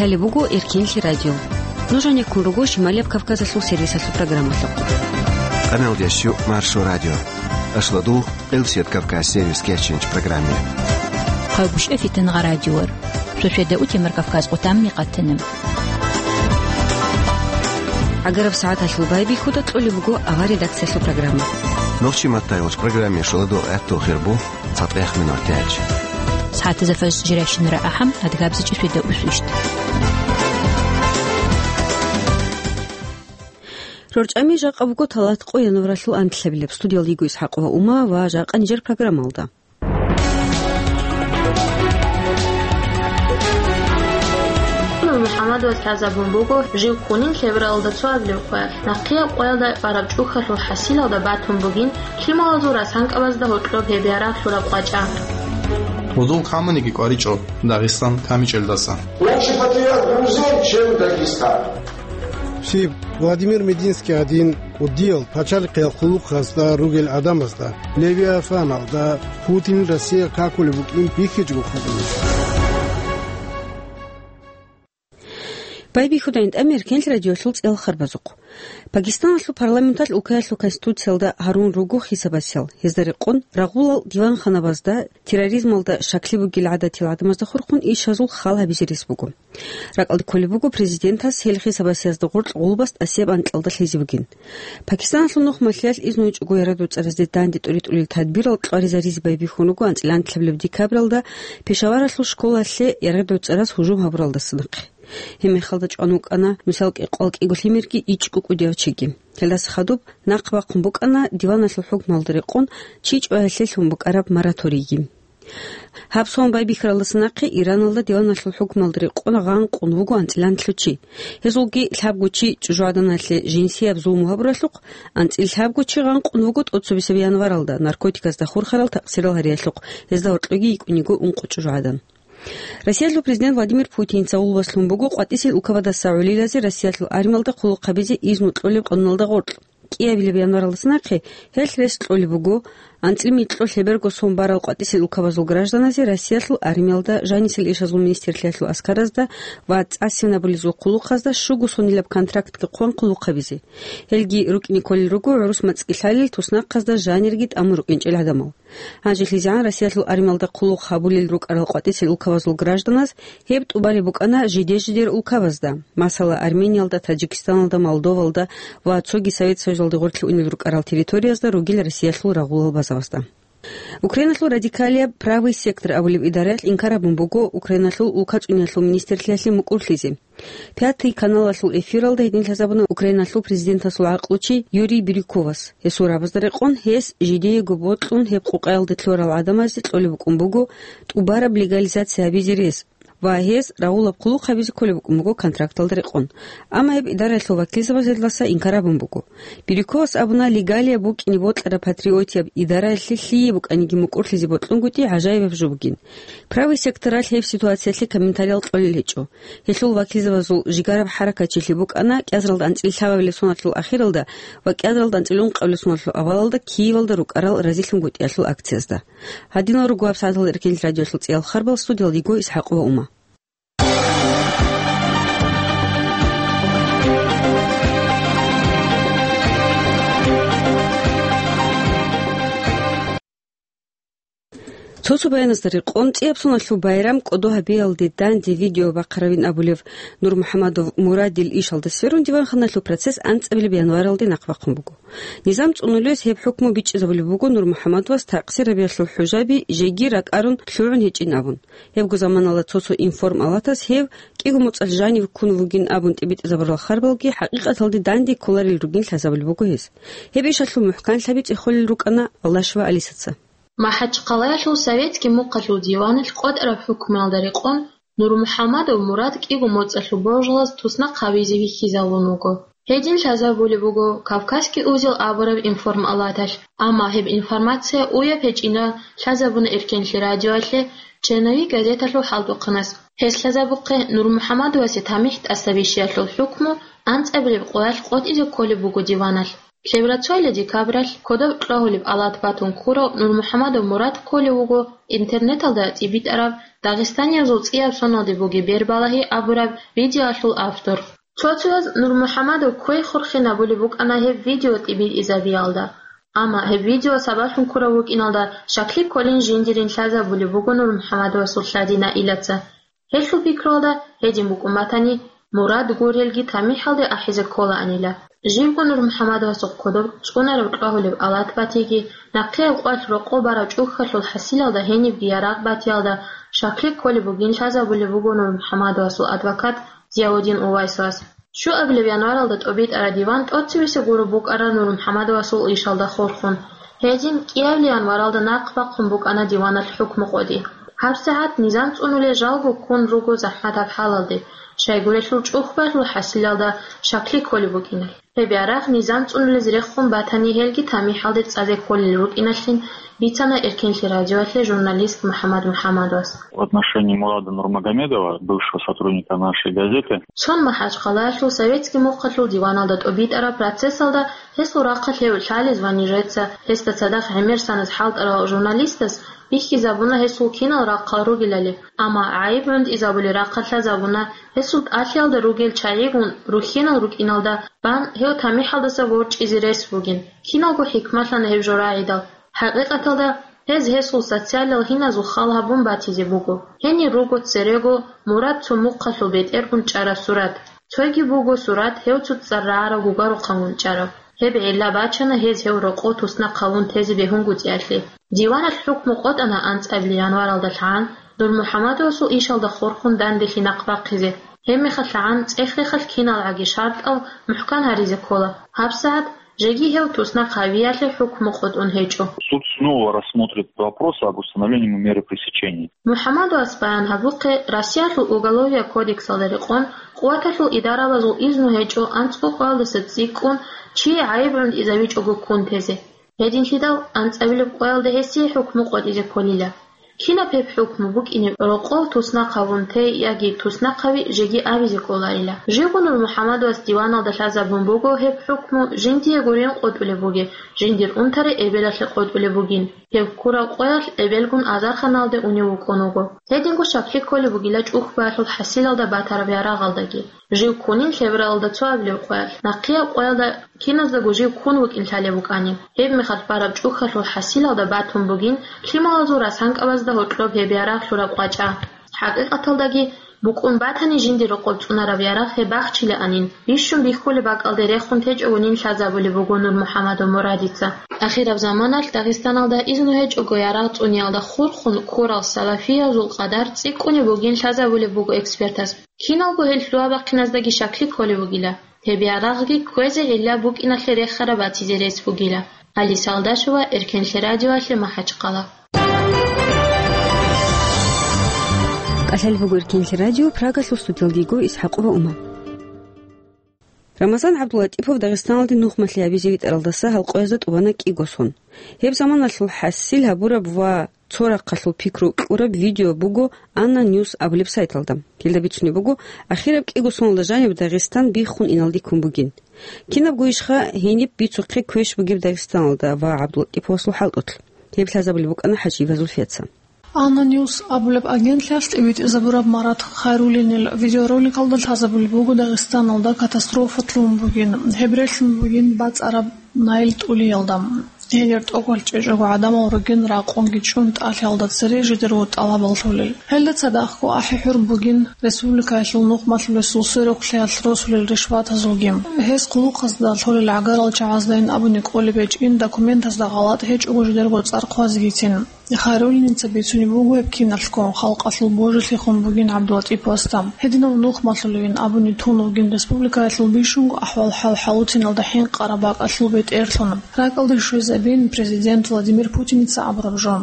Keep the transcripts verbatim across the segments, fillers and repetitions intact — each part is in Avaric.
Гьале буго Эркенлъи радио. Нуж гьанеккун руго Шималияб Кавказалъул сервисалъул программалъухъ. Къамелдеш Маршо радио. Ашладу, Къилсият Кавказ сервис кеченч программе. Хъагушев Фитангъа радиор. Шошеда утемар Кавказ къутамни къатана. Агараб сагӀаталъул байбихьуда кьолеб буго авар редакциялъул программа. Нохчи маттайолч программе шуладу гӀатту хирбу. ЦатӀех минутач. СагӀатазда фаж жирайщинара ахӀам, адгабзичӀи сведа усвищт. РорчӀами жакъа буго талат къо январалъул анлъабилеб. Студиялда йиго ИсхӀакъова Ума ва жакъа нижер программалда. МухӀаммадовас лъазабун буго жив хунин лъебералда цоабилеб къоялъ, нахъияб къоялда бараб чӀухьалъул хӀасилалда батун бугин лъималазул расанкабазда гьоркьоб гьеб ярагъ лъураб къвачӀа. Гьудул камуниги кӀваричӀо Дагъистан камичӀелдаса. Лучший патриот грузин, чем Дагестан. Щиб, Владимир Мединский гӀадин, кӀудиял пачалихъиял хъулухъазда ругел гӀадамазда, Левиафаналда, Путин Россия какулеб букӀин бихьичӀого хъугьунищ? Байбихьудайин тӀамер Эркенлъи радиолъул цӀел харбазухъ. Пакистаналъул парламенталъ улкаялъул конституциялда гьарун руго хисабасел. Гьезда рекъон рагъулал диванханабазда терроризмалда щаклъи бугел гӀадатил гӀадамазда хурхун ишазул хал гьабизе рес буго. РакӀалде кколеб буго президентас гьел хисабасезда гъоркь гъулбас тӀасияб анкьалда лъезе бугин. Пакистаналъул нухмалъиялъ изну гьечӀого ярагъдул цӀаразде данде тӀоритӀулел тадбирал кьваризаризе байбихьун руго анцӀила анлъабилеб декабралда Пешаваралъул школалъе ярагъдул цӀараз гьужум гьабуралдаса нахъе. Гьеб мехалда чӀван вукӀана нусал кӀикъоялда кӀиго лъимерги ичӀго кӀудияв чиги. Гьелдаса хадуб нахъ бахъун букӀана диваналъул хӀукмалда рекъон чи чӀваялъе лъун букӀараб мораторийги. Гьаб сон байбихьаралдаса нахъе Ираналда диваналъул хӀукмалда рекъон гъанкъун вуго анцӀила анлъго чи. Гьезулги лъабго чи чӀужугӀаданалъе жинсияб зулму гьабуралъухъ, анцӀила лъабго чи гъанкъун вуго тӀоцебесеб январалда наркотиказда хурхарал такъсирал гьариялъухъ, гьезда гьоркьоги йикӀун йиго ункъо чӀужугӀадан. Россиялъул президент Владимир Путинца гъулбас лъун буго къватӀисел улкабаздаса гӀолилазе Россиялъул армиялда хъулухъ гьабизе изну кьолеб къоналда гъоркь. КӀиабилеб январалдаса нахъе гьелъ рес кьолеб буго анцӀила микьго лъеберго сон барал къватӀисел улкабазул гражданазе Россиялъул армиялда, жанисел ишазул министрлъиялъул аскаразда ва цӀасинабулезул хъулухъазда щуго сонилаб контрактги хъван хъулухъ гьабизе. Гьелги рукӀине кколел руго гӀурус мацӀги лъалел, туснахъазда жанирги тӀамун рукӀинчӀел гӀадамал. ГьанжелъизегӀан Россиялъул армиялда хъулухъ гьабулел рукӀарал къватӀисел улкабазул гражданаз гьеб тӀубареб букӀана жиде-жидер улкабазда, масала, Армениялда, Таджикистаналда, Молдовалда ва цоги Совет Союзалде гъорлъе унел рукӀарал территориязда ругел Россиялъул рагъулал базабазда. Украиналъул радикалияб Правый сектор абулеб идараялъ инкар гьабун буго Украиналъул улкацӀуниялъул министрлъиялъе мукӀурлъизе. Пятый каналалъул эфиралда гьедин лъазабуна Украиналъул президентасул гӀакълучи Юрий Бирюковас. Гьесул рабазда рекъон гьес жидеего бокьун гьеб къукъаялде лъурал гӀадамазде кьолеб букӀун буго тӀубараб легализация гьабизе рес ва гьез рагъулаб хъулухъ гьабизе кколеб букӀун буго контракталда рекъон. Амма гьеб идараялъул вакилзабаз гьелдаса инкар гьабун буго. Бирюковас абуна, легалияб букӀине бокьараб патриотияб идараялъе лъие букӀаниги мукӀурлъизе бокьунгутӀи гӀажаибаб жо бугин. Правый секторалъ гьеб ситуациялъе комментариял кьолел гьечӀо. Гьелъул вакилзабазул жигараб хӀаракатчилъи букӀана кӀиазаралда анцӀила лъабабилеб соналъул ахиралда ва кӀиазаралда анцӀила ункъабилеб соналъул авалалда Киевалда рукӀарал разилъунгутӀиялъул акциязда. Гьадинал руго гьаб сагӀаталда Эркенлъи радиолъул цӀиял харбал, студиялда йиго ИсхӀакъова Ума. Цо-цо баяназда рекъон, цӀияб соналъул байрам кӀодо гьабиялде данде видео бахъаравин абулев НурмухӀамадов Мурадил ишалда сверун диванханалъул процесс анцӀабилеб январалде нахъ бахъун буго. Низам цӀунулес гьеб хӀукму бичӀчӀизабулеб буго НурмухӀамадовас такъсир гьабиялъул хӀужаби жеги ракӀарун лъугӀун гьечӀин абун. Гьебго заманалда цо-цо информалатас гьев кӀиго моцӀалъ жанив ккун вугин абун тӀибитӀизабурал харбалги хӀакъикъаталде данде кколарел ругин лъазабулеб буго гьес. Гьеб ишалъул мухӀканлъаби цӀехолел рукӀана Аллашева Алисаца. МахӀачхъалаялъул Советский мухъалъул диваналъ къотӀараб хӀукмуялда рекъон НурмухӀамадов Мурад кӀиго моцӀалъул божалаз туснахъ гьавизе вихьизавун вуго. Гьедин лъазабулеб буго Кавказский узел абураб информалаталъ, амма гьеб информация уяб гьечӀинан лъазабуна Эркенлъи радиоялъе «Черновик» газеталъул хӀалтӀухъанас. Гьес лъазабухъе НурмухӀамадовасе тамихӀ тӀасабищиялъул хӀукму анцӀабилеб къоялъ къотӀизе кколеб буго диваналъ. Лъеберацояла декабралъ кодоб кьвагьулеб алат батун ккурав Нурмухьамадов Мурад кколев вуго интернеталда тӀибитӀараб Дагъистаниязул цӀияб соналде бугеб бербалагьи абураб видеоялъул автор. Цо-цояз Нурмухьамадов квей-хурхин абулеб букӀана гьеб видео тӀибитӀизабиялда, амма гьеб видео сабаблъун ккурав вукӀиналда щаклъи кколин жиндирин лъазабулеб буго Нурмухьамадовасул лъади Наилаца. Гьелъул пикруялда гьедин букӀун батани, Мурад гурелги тамихӀалде ахӀизе кколаанила. Живго Нурмухьамадовасухъ кодоб цӀунараб кьвагьулеб алат батиги, нахъеяб къвалъ рокъоб бараб чӀухьалъул хӀасилалда гьенибги ярагъ батиялда щаклъи кколеб бугин лъазабулеб буго Нурмухьамадовасул адвокат Зияудин Увайсовас. Щуабилеб январалда тӀобитӀараб диван тӀоцебесеб гуреб букӀараб Нурмухьамадовасул ишалда хурхун. Гьедин кӀиабилеб январалда нахъ бахъун букӀана диваналъ хӀукму къотӀи. ГьабсагӀат низам цӀунулел жалго ккун руго захӀматаб хӀалалде, щайгурелъул чӀухӀбалъул хӀасилалда щаклъи кколеб букӀиналъ. Гьеб ярагъ низам цӀунулез рехун батани, гьелги тамихӀалде цӀазе кколел рукӀиналъин бицана Эркенлъи радиоялъе журналист МухӀаммад МухӀаммадовас. В отношении Мурада Нурмагомедова, бывшего сотрудника нашей газеты, Цон МахӀачхъалаялъул советский мухъалъул диваналда тӀобитӀараб процессалда гьесул рахъалъ гьев лъалез ва нижеца гьесда цадахъ гӀемер санас хӀалтӀарал журналистас бихьизабуна гьесул кинал рахъал ругелали, амма гӀайиб гӀунтӀизабулел рахъалъ лъазабуна гьесул тӀалъиялда ругел чагӀигун рухьинал рукӀиналда бан гьев тамихӀалдаса ворчӀизе рес бугин. Киналго хӀикмалъана гьеб жо рагӀидал. ХӀакъикъаталда, гьез гьесул социалал гьиназул хал гьабун батизе буго. Гьенир руго церего Мурад цо мухъалъул бетӀергун чӀараб сурат. Цойги буго сурат гьев цо цӀар рагӀараб гугарухъан гун чӀараб. Гьеб гӀилла бачана гьез гьев рокъов туснахъ гьавун тезе бегьунгутӀиялъе. Диваналъ хӀукму къотӀана анцӀабилеб январалда лъагӀан Нурмухьамадовасул ишалда хурхун данделъи нахъ бахъизе. Гьебмехалъ лъагӀан цӀех-рехалъ киналгӀаги шартӀал мухӀкан гьаризе ккола. ГьабсагӀат жеги гьев туснахъ гьавиялъе хӀукму къотӀун гьечӀо. Суд снова рассмотрит вопрос об установлении ему меры пресечения. МухӀамадовас баян гьабухъе, Россиялъул Уголовия кодексалда рекъон, къуваталъул идарабазул изну гьечӀо анцӀго къоялдаса цӀикӀкӀун чи гӀайиб гӀунтӀизавичӀого ккун тезе. Гьединлъидал анцӀабилеб къоялда гьесие хӀукму къотӀизе кколила. Кинаб гьеб хӀукму букӀине рокъов туснахъ гьавун те яги туснахъ гьави жеги абизе кколарила. Живго Нурмухьамадовас диваналда лъазабун буго гьеб хӀукму жиндие гурин къотӀулеб бугеб, жиндир унтарей эбелалъе къотӀулеб бугин. Гьев ккураб къоялъ эбелгун азарханалде унев вукӀун вуго. Гьединго щаклъи кколеб бугила чӀухӀбалъул хӀасилалда батараб ярагъалдаги. Жив ккунин лъебералда цоабилеб къоялъ, нахъияб къоялда киназдаго жив ккун вукӀин лъалеб букӀани. Гьебмехалъ бараб чӀухӀалъул хӀасилалда батун бугин лъималазул расанкабазда гьоркьоб гьеб ярагъ лъураб къвачӀа. ХӀакъикъаталдаги, букӀун батани жинди рокъоб цӀунараб ярагъ гьеб бахчилаанин, бищун бихьулеб бакӀалде рехун течӀогонин лъазабулеб буго Нурмухьамадов Мурадица. Ахираб заманалъ Дагъистаналда изну гьечӀого ярагъ цӀуниялда хурхун ккурал салафиязул къадар цӀикӀкӀунеб бугин лъазабулеб буго экспертас. Киналго гьел лъугьа-бахъиназдаги щаклъи кколеб бугила, гьеб ярагъги кквезе гӀилла букӀиналъе рехараб батизе рес бугила. Алиса Алдашева, Эркенлъи радиоялъе, МахӀачхъала. КӀалъалеб буго Эркенлъи радио, Прагалъул студиялда йиго ИсхӀакъова Ума. Рамазан ГӀабдуллатӀипов Дагъистаналде нухмалъи гьабизе витӀаралдаса гьалкъоязда тӀубана кӀиго сон. Гьеб заманалъул хӀасил гьабураб ва цо рахъалъул пикру кьураб видео буго Анна Ньюс абулеб сайталда. Гьелда бицунеб буго, ахираб кӀиго соналда жаниб Дагъистан биххун иналде ккун бугин. Кинабго ишха гьениб бицухъе квеш бугеб Дагъистаналда ва ГӀабдуллатӀиповасул хӀалтӀулъ. Гьеб лъазабулеб букӀана ХӀажиева Зульфияца. Анна Ньюс абулеб агентлъиялъ тӀибитӀизабураб Марат Хайруллинил видеороликалда лъазабулеб буго Дагъистаналда катастрофа лъун бугин, гьеб релълъун бугин бацӀараб Наил тӀулиялда. Гьелир тӀокӀалъ чӀечӀого гӀадамал ругин ракъунги чӀун тӀалъиялда цере жидерго тӀалабал лъолел. Гьелда цадахъго ахӀи-хӀур бугин республикаялъул нухмалъулесул сверухълъиялъ росулел ришватазулги. Гьес хъулухъазда лъолел гӀагарал чагӀаздайин абуни кӀолеб гьечӀин, документазда гъалатӀ гьечӀого жидерго цӀар хъвазегицин. Хайруллиница бицунеб буго гьеб киналъго, халкъалъул божилъихъун бугин ГӀабдуллатӀиповасда. Гьединав нухмалъулевин абуни тун вугин республикаялъул бищунго ахӀвал-хӀал хӀалуциналда хӀинкъараб бакӀалъул бетӀерлъун. РакӀалде щвезабин президент Владимир Путиница абураб жо.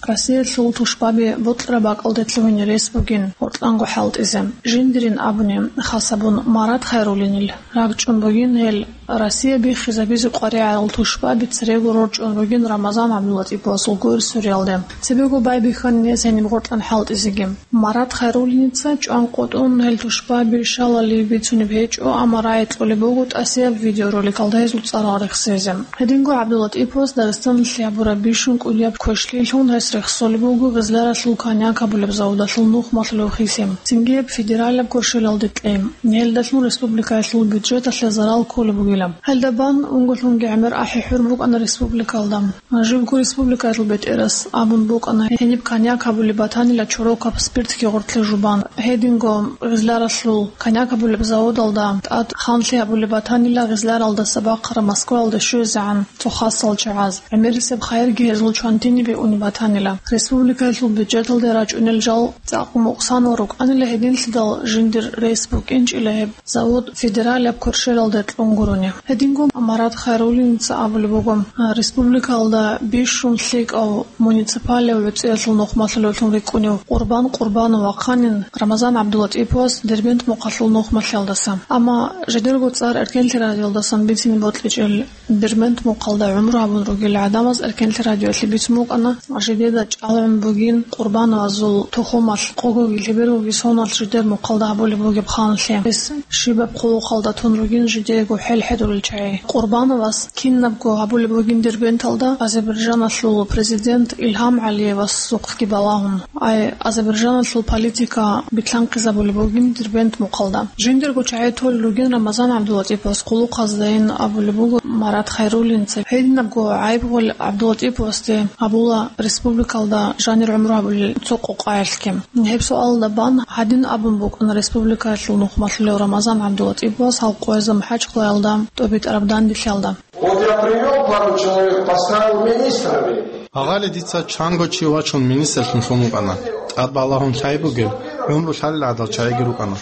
Россиялъул тушбаби бокьараб бакӀалде лъугьине рес бугин гьоркьанго хӀалтӀизе. Жиндирин абуни, хас гьабун Марат Хайруллинил рагчӀун бугин гьел Россия биххизабизе къваригӀарал тушбаби церего рорчӀун ругин Рамазан ГӀабдулатӀиповасул гуэр суриялде. Цебего байбихьанин гьес гьениб гьоркьан хӀалтӀизеги. Марат Хайруллиница чӀванкъотӀун гьел тушбаби щалали бицунеб гьечӀо, амма рагӀи кьолеб буго тӀасияб видеороликалда гьезул цӀарал рехсезе. Гьединго ГӀабдулатӀиповас Дагъистаналъе гьабураб бищун кӀудияб квешлъиялъун гьес рехсолеб буго Гъизляралъул коньяк гьабулеб заводалъул нухмалъулев хиси. Цинги гьеб федералияб квешлъиялде кьей. Гьелдалъун республикаялъул бюджеталъе зарал кколеб бугила. Гьелда бан унголъунги гӀемер ахӀи-хӀур букӀана республикалда. Живго республикаялъул бетӀерас абун букӀана, гьениб коньяк гьабулеб батанила чорокаб спиртги гъоркье жубан. Гьединго Гъизляралъул коньяк гьабулеб заводалда тӀад ханлъи гьабулеб батанила Гъизляралдаса бахъараб Москваялде щвезегӀан цо хасал чагӀаз. ГӀемерисеб хайирги гьезул чвантинибе унеб батанила. Республикаялъул бюджеталде рачӀунел жал цӀакъ мукъсанал рукӀанила гьединлъидал жиндир рес букӀинчӀила гьеб. Завод федералияб квешлъиялде кьун гурони. Гьединго Марат Хайруллиница абулеб буго, республикалда бищун лъикӀав муниципалияб гӀуцӀиялъул нухмалъулевлъун рикӀкӀунев Къурбан Къурбанов вахъанин Рамазан ГӀабдулатӀиповас Дербент мухъалъул нухмалъиялдаса. Амма жидерго цӀар Эркенлъи радиоялдасан бицине бокьичӀел Дербент мухъалда гӀумру гьабун ругел гӀадамаз Эркенлъи радиоялъе бицун букӀана, жидеда чӀалгӀун бугин Къурбановазул тухумалъ, къогоги лъебергоги соналъ жидер мухъалда гьабулеб бугеб ханлъи. Гьес щибаб хъулухъалда тун ругин жидеего хӀел хӀедурел чагӀи. Къурбановас кинабго гьабулеб бугин Дербенталда Азербайджаналъул президент Илгьам ГӀалиевасухъги балагьун. Ай, Азербайджаналъул политика битлъанхъизабулеб бугин Дербент мухъалда. Жиндирго чагӀи толел ругин Рамазан ГӀабдулатӀиповас хъулухъаздайин абулеб буго Марат Хайруллинца. Гьединабго гӀайиб гъол ГӀабдулатӀиповасде гьабула республикалда жанир гӀумру гьабулел цо къокъаялъги. Гьеб суалда бан гьадин абун букӀана республикаялъул нухмалъулев Рамазан ГӀабдулатӀиповас гьал къоязда МахӀачхъалаялда тӀобитӀараб данделъиялда. Вот я привёл пару человек, поставил министрами. Гьагъали дица чанго чи вачун министрлъун лъун вукӀана. ТӀад балагьун лъай бугел, гӀумру лъалел гӀадал чагӀиги рукӀана.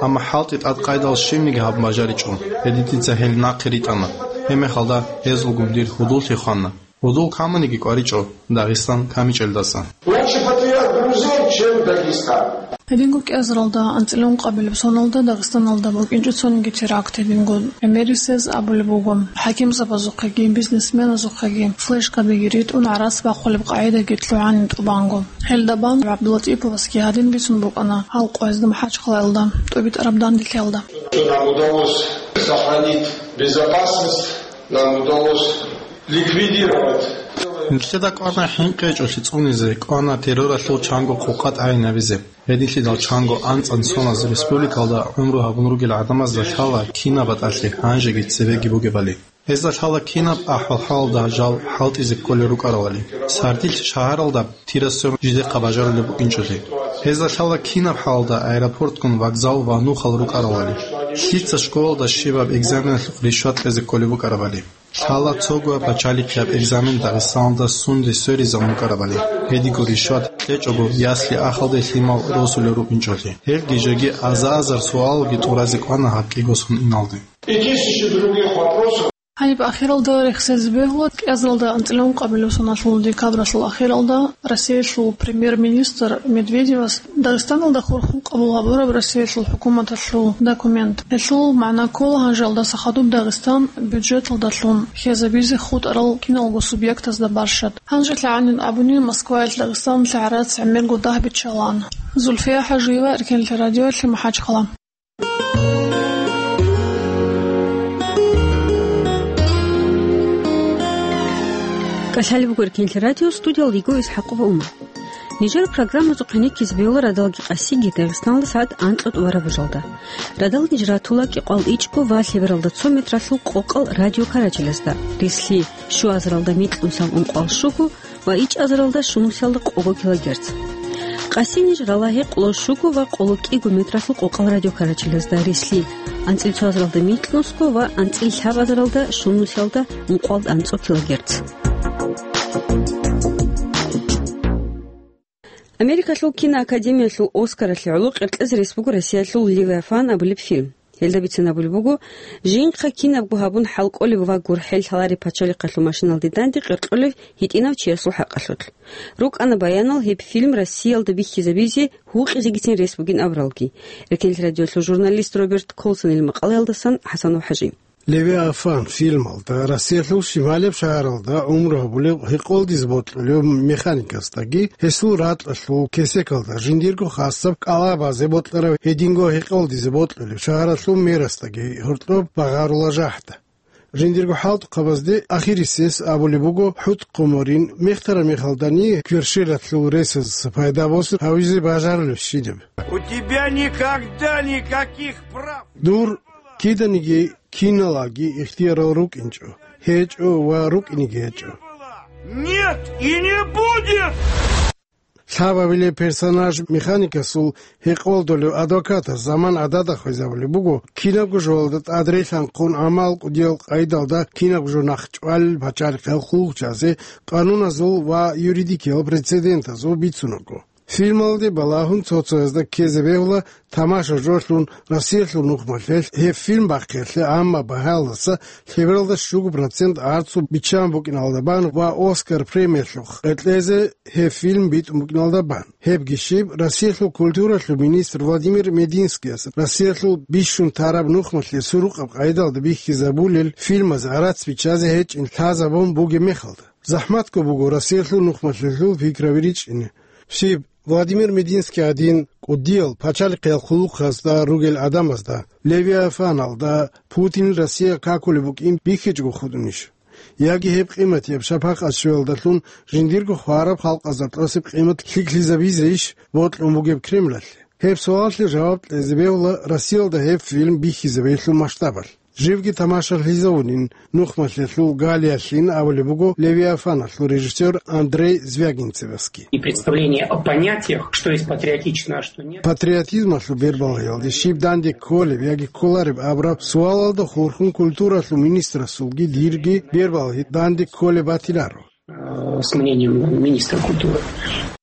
Амма хӀалтӀи тӀадкъайдал щибниги гьабун бажаричӀо. Гьедин дица гьел нахъе ритӀана. Гьебмехалда гьезулгун дир гьудуллъи хвана. Гьудул камуниги кӀваричӀо, Дагъистан камичӀелдаса. Лучше патриот Грузии, чем Дагестан. Гьединго кӀиазаралда анцӀила ункъабилеб соналда Дагъистаналда букӀинчӀо цониги теракт. Гьединго гӀемерисез абулеб буго, хӀакимзабазухъеги, бизнесменазухъеги флешкабиги ритӀун гӀарац бахъулеб къагӀидаги лъугӀанин тӀубанго. Гьелда бан ГӀабдулатӀиповасги гьадин бицун букӀана гьал къоязда МахӀачхъалаялда тӀобитӀараб данделъиялда. Нам удалось сохранить безопасность, нам удалось ликвидировать. Нилъеда кӀвана хӀинкъи гьечӀолъи цӀунизе, кӀвана терроралъул чанго къокъа тӀагӀинабизе. Гьединлъидал чанго анцӀан соназ республикалда гӀумру гьабун ругел гӀадамазда лъала кинаб батӀалъи гьанжеги цебеги бугебали. Гьезда лъала кинаб ахӀвал-хӀалалда жал хӀалтӀизе кколел рукӀаравали, сардилъ шагьаралда тирасев жидехъа бажарулеб букӀинчӀоли. Гьезда лъала кинаб хӀалалда аэропортгун вокзал ва нухал рукӀаравали, лъица школалда щибаб экзаменалъухъ ришват кьезе кколеб букӀарабали. Лъала цого пачалихъияб экзамен Дагъистаналда сунде сверизабун букӀарабали, гьедиго ришват кьечӀого ясли-ахалде лъимал росулел рукӀинчӀоли. Гьелги жеги аза-азар суалги тӀуразе кӀвана гьаб кӀиго сон иналде. И тысячи других вопросов. Гьаниб ахиралда рехсезе бегьула, кӀиазаралда анцӀила ункъабилеб соналъул декабралъул ахиралда Россиялъул премьер-министр Медведевас Дагъистаналда хурхун къабул гьабураб Россиялъул хӀукуматалъул документ. Гьелъул магӀна ккола гьанжеялдаса хадуб Дагъистан бюджеталдалъун хьезабизе хутӀарал киналго субъектазда барщад. Гьанжелъ гӀанин абуни, Москваялъ Дагъистаналъе гӀарац гӀемерго дагь биччалаан. Зульфия ХӀажиева, Эркенлъи радиоялъе, МахӀачхъала. КӀалъалеб буго Эркенлъи радио, студиялда йиго ИсхӀакъова Умар. Нижер программазухъе ккезе бегьула радалги къасиги Дагъистаналда сагӀат анкьа тӀубараб бажалда. Радал ниж ратула кӀикъоялда ичӀго ва лъебералда цо метралъул къокъал радиокарачелазда, рислъи щуазаралда микьнусиялда ункъоялда щуго ва ичӀазаралда щунусиялда къого килогерц. Къаси ниж рала гьекъолда щуго ва къоло кӀиго метралъул къокъал радиокарачелазда, рислъи анцӀила цоазаралда микьнусго ва анцӀила лъабазаралда щунусиялда ункъоялда анцӀго килогерц. Америкалъул киноакадемиялъул Оскаралъе гӀоло къеркьезе рес буго Россиялъул «Левиафан» абулеб фильм. Гьелда бицен абулеб буго, жинхъа кинабго гьабун хӀал кӀолеб ва гурхӀел лъалареб пачалихъалъул машиналде данде къеркьолев гьитӀинав чиясул хӀакъалъулъ. РукӀана баянал гьеб фильм Россиялда бихьизабизе гьукъизегицин рес бугин абуралги. Эркенлъи радиолъул журналист Роберт Колсонил макъалаялдасан ХӀасанов ХӀажи. «Левиафан» фильмалда Россиялъул шималияб шагьаралда гӀумру гьабулев гьекъолдизе бокьулев механикасдаги гьесул ракьалъул кесекалда жиндирго хасаб кӀалабазе бокьарав гьединго гьекъолдизе бокьулев шагьаралъул мерасдаги гьоркьоб багъарулеб жагьилда. Жиндирго хӀалтӀухъабазде ахирисез абулеб буго хӀутӀ-хъумурин, мехтараб мехалдани кверщелалъул ресазулъ пайда босун гьавизе бажарулебщинаб. У тебя никогда никаких прав. Дур киданиги киналги ихтиярал рукӀинчӀо, гьечӀо ва рукӀинеги гьечӀо. Нет и не будет! Лъабабилеб персонаж механикасул гьекъолдулев адвокатас заман гӀадада хвезабулеб буго, кинабго жоялда тӀадрелъанхъун гӀамал кӀудиял къайдалда кинабго жо нахъчӀвалел пачалихъ хъулухъчиясе къануназул ва юридикиял прецедентазул бицунаго. Фильмалде балагьун цо-цоязда ккезе бегьула тамаша жолъун Россиялъул нухмалъе гьеб фильм бахъиялъе, амма багьаялдаса лъебералда щуго процент арцу биччан букӀиналда бан ва Оскар премиялъухъ кьезе гьеб фильм битӀун букӀиналда бан. Гьебги щиб, Россиялъул культуралъул министр Владимир Мединскияс Россиялъул бищун тараб нухмалъе сурукъаб къайдалда бихьизабулел фильмаз гӀарац биччазе гьечӀин лъазабун бугеб мехалда. ЗахӀматго буго Россиялъул нухмалъулъул пикраби ричӀчӀине. Щиб, Владимир Мединский гӀадин кӀудиял пачалихъиял хъулухъазда ругел гӀадамазда, «Левиафаналда» Путинил Россия какулеб букӀин бихьичӀого хутӀунищ? Яги гьеб къиматияб шапакъат щвеялдалъун жиндирго хвараб халкъазда тӀасеб къимат лъикӀлъизабизейищ бокьун бугеб Кремлалъе? Гьеб суалалъе жаваб кьезе бегьула Россиялда гьеб фильм бихьизабиялъул масштабалъ. Живги тамашалъизавунин нухмалъулъул галиялъин абулеб буго «Левиафаналъул» режиссер Андрей Звягинцевасги. И представление о понятиях, что есть патриотично, а что нет. Патриотизмалъул бербалгьиялде щиб данде кколеб яги кколареб абураб суалалда хурхун культуралъул министрасулги дирги бербалгьи данде кколеб батиларо. Э, с мнением министра культуры.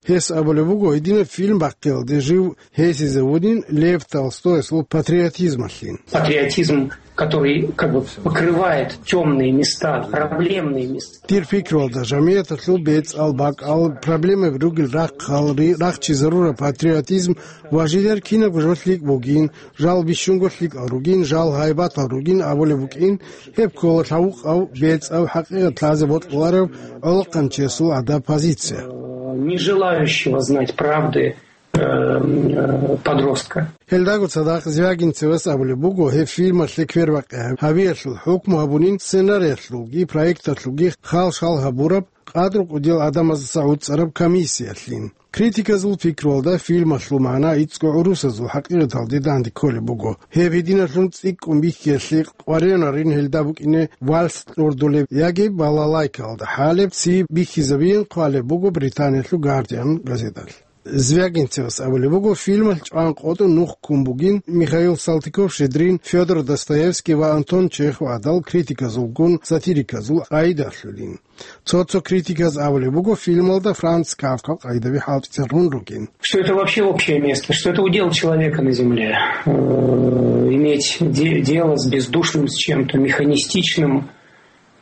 Гьес абулеб буго, гьединаб фильм бахъиялде жив гьесизе вунин Лев Толстоясул патриотизмалъин. Патриотизм, который как бы покрывает тёмные места, проблемные места. Дир пикруялда, жамигӀаталъул бецӀал, бакӀал, проблемаби ругел рахъал ри-, рахчизарураб патриотизм ва жидер кинабго жо лъикӀ бугин, жал бищунго лъикӀал ругин, жал гьайбатал ругин абулеб букӀин, гьеб ккола лъавукъав, бецӀав хӀакъикъат лъазе бокьуларев гӀолохъанчиясул гӀадаб позиция. Э, не желающего знать правды, э, э, подростка. Гьелдаго цадахъ Звягинцевас абулеб буго, гьеб фильмалъе квербакъи гьабиялъул хӀукму гьабунин сценариялъулги проекталъулги хал-шал гьабураб къадру кӀудиял гӀадамаздаса гӀуцӀараб комиссиялъин. Критиказул пикруялда фильмалъул магӀна ицӀго гӀурусазул хӀакъикъаталде данде кколеб буго. Гьеб гьединалъун цӀикӀкӀун бихьиялъе къваригӀунарин гьелда букӀине вальс кьурдулеб яги балалайкаялда хӀалеб ци бихьизабиин хъвалеб буго Британиялъул Гардиан газеталъ. Звягинцевас абулеб буго, фильмалъ чӀван къотӀун нух ккун бугин Михаил Салтыков-Щедрин, Фёдор Достоевский ва Антон Чехов гӀадал критиказулгун сатириказул къайдалъулин. Цо-цо критиказ абулеб буго, фильмалда Франц Кафкал къайдаби хӀалтӀизарун ругин. Что это вообще общее место, что это удел человека на земле, э, иметь де-, дело с бездушным, с чем-то механистичным.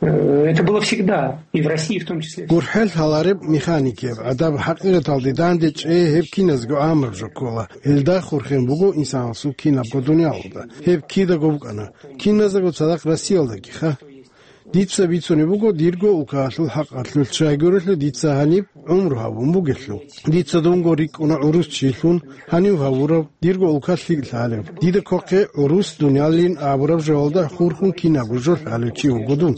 Э, это было всегда, и в России в том числе. ГурхӀел лъалареб механикияб гӀадаб хӀакъикъаталде данде чӀей гьеб киназго гӀамаб жо ккола. Гьелда хурхен буго инсанасул кинабго дуниялалда. Гьеб кидаго букӀана, киназдаго цадахъ Россиялдагиха. Дица бицунеб буго дирго улкаялъул хӀакъалъулъ, щайгурелъул дица гьаниб гӀумру гьабун бугелъул. Дица дунго рикӀкӀуна гӀурус чилъун, гьанив гьавурав, дирго улка лъикӀ лъалев. Дида квахъе гӀурус дуниялин абураб жоялда хурхун кинабго жо лъалев чи вуго дун.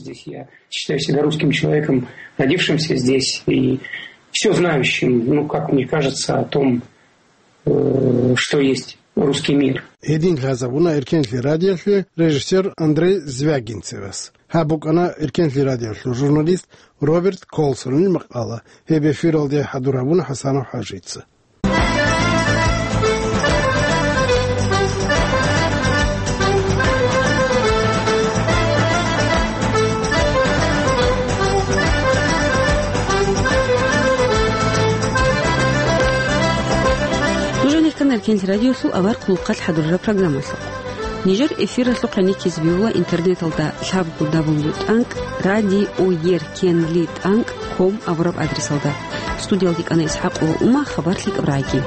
Считаю себя русским человеком, родившимся здесь и всё знающим, ну, как мне кажется, о том, э, что есть русский мир. Гьедин лъазабуна Эркенлъи радиолъе режиссер Андрей Звягинцевас. Гьаб букӀана Эркенлъи радиолъул журналист Роберт Колсонил макъала. Гьеб эфиралде хӀадур гьабуна ХӀасанов ХӀажица. Нуж гьанир ккана Эркенлъи радиолъул авар хъулухъалъ хӀадурараб программалъухъ. Нижер эфиралъухъ гӀенеккизе бегьула интернеталда лъабго дабл ю тӀанкӀ радиоеркенлитӀанкӀ ком абураб адресалда. Студиялде кӀана ИсхӀакъ ва Ума, хабар лъикӀаб рагӀи.